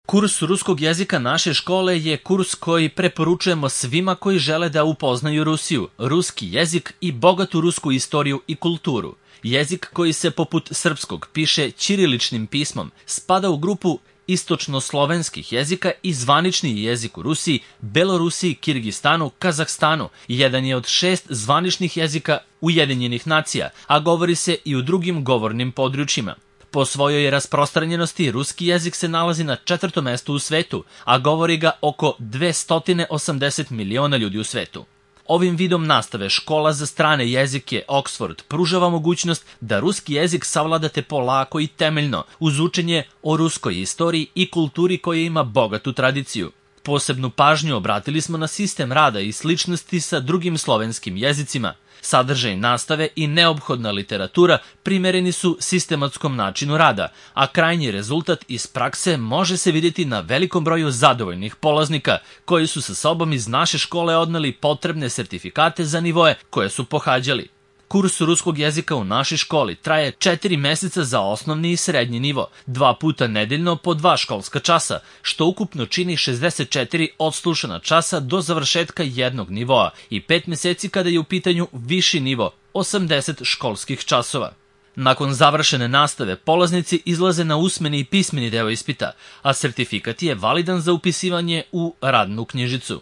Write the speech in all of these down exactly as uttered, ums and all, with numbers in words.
Kurs ruskog jezika naše škole je kurs koji preporučujemo svima koji žele da upoznaju Rusiju, ruski jezik i bogatu rusku istoriju i kulturu. Jezik koji se poput srpskog piše ćiriličnim pismom, spada u grupu istočnoslovenskih jezika i zvanični jezik u Rusiji, Belorusiji, Kirgistanu, Kazahstanu. Jedan je od šest zvaničnih jezika Ujedinjenih nacija, a govori se i u drugim govornim područjima. Po svojoj rasprostranjenosti, ruski jezik se nalazi na četvrtom mestu u svetu, a govori ga oko dvesta osamdeset miliona ljudi u svetu. Ovim vidom nastave Škola za strane jezike Oxford pružava mogućnost da ruski jezik savladate polako i temeljno uz učenje o ruskoj istoriji i kulturi koja ima bogatu tradiciju. Posebnu pažnju obratili smo na sistem rada i sličnosti sa drugim slovenskim jezicima. Sadržaj nastave i neophodna literatura primereni su sistematskom načinu rada, a krajnji rezultat iz prakse može se vidjeti na velikom broju zadovoljnih polaznika koji su sa sobom iz naše škole odneli potrebne sertifikate za nivoe koje su pohađali. Kurs ruskog jezika u našoj školi traje četiri meseca za osnovni i srednji nivo, dva puta nedeljno po dva školska časa, što ukupno čini šezdeset četiri odslušana časa do završetka jednog nivoa i pet meseci kada je u pitanju viši nivo, osamdeset školskih časova. Nakon završene nastave, polaznici izlaze na usmeni i pismeni deo ispita, a sertifikat je validan za upisivanje u radnu knjižicu.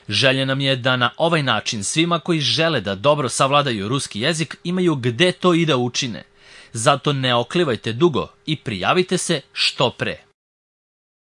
Želja nam je da na ovaj način svima koji žele da dobro savladaju ruski jezik imaju gde to i da učine. Zato ne oklivajte dugo i prijavite se što pre.